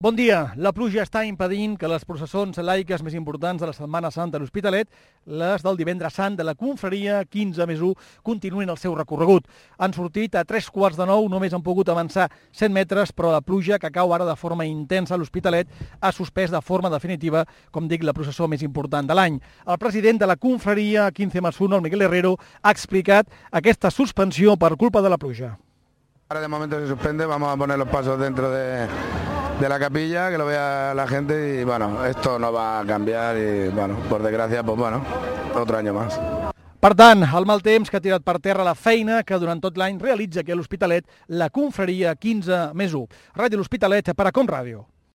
Bon dia. La pluja està impedint que les processons laiques més importants de la Setmana Santa a l'Hospitalet, les del Divendres Sant de la Confraria 15+1, continuïn el seu recorregut. Han sortit a 8:45, només han pogut avançar 100 metres, però la pluja, que cau ara de forma intensa a l'Hospitalet, ha suspès de forma definitiva, com dic, la processó més important de l'any. El president de la Confraria 15+1, el Miguel Herrero, ha explicat aquesta suspensió per culpa de la pluja. Ahora de momento se suspende, vamos a poner los pasos dentro de la capilla, que lo vea la gente y bueno, esto no va a cambiar y bueno, por desgracia, pues bueno, otro año más. Per tant, el mal temps que ha tirat per terra la feina que durant tot l'any realitza aquí a l'Hospitalet la Confraria 15+1. Ràdio L'Hospitalet per a Com Ràdio.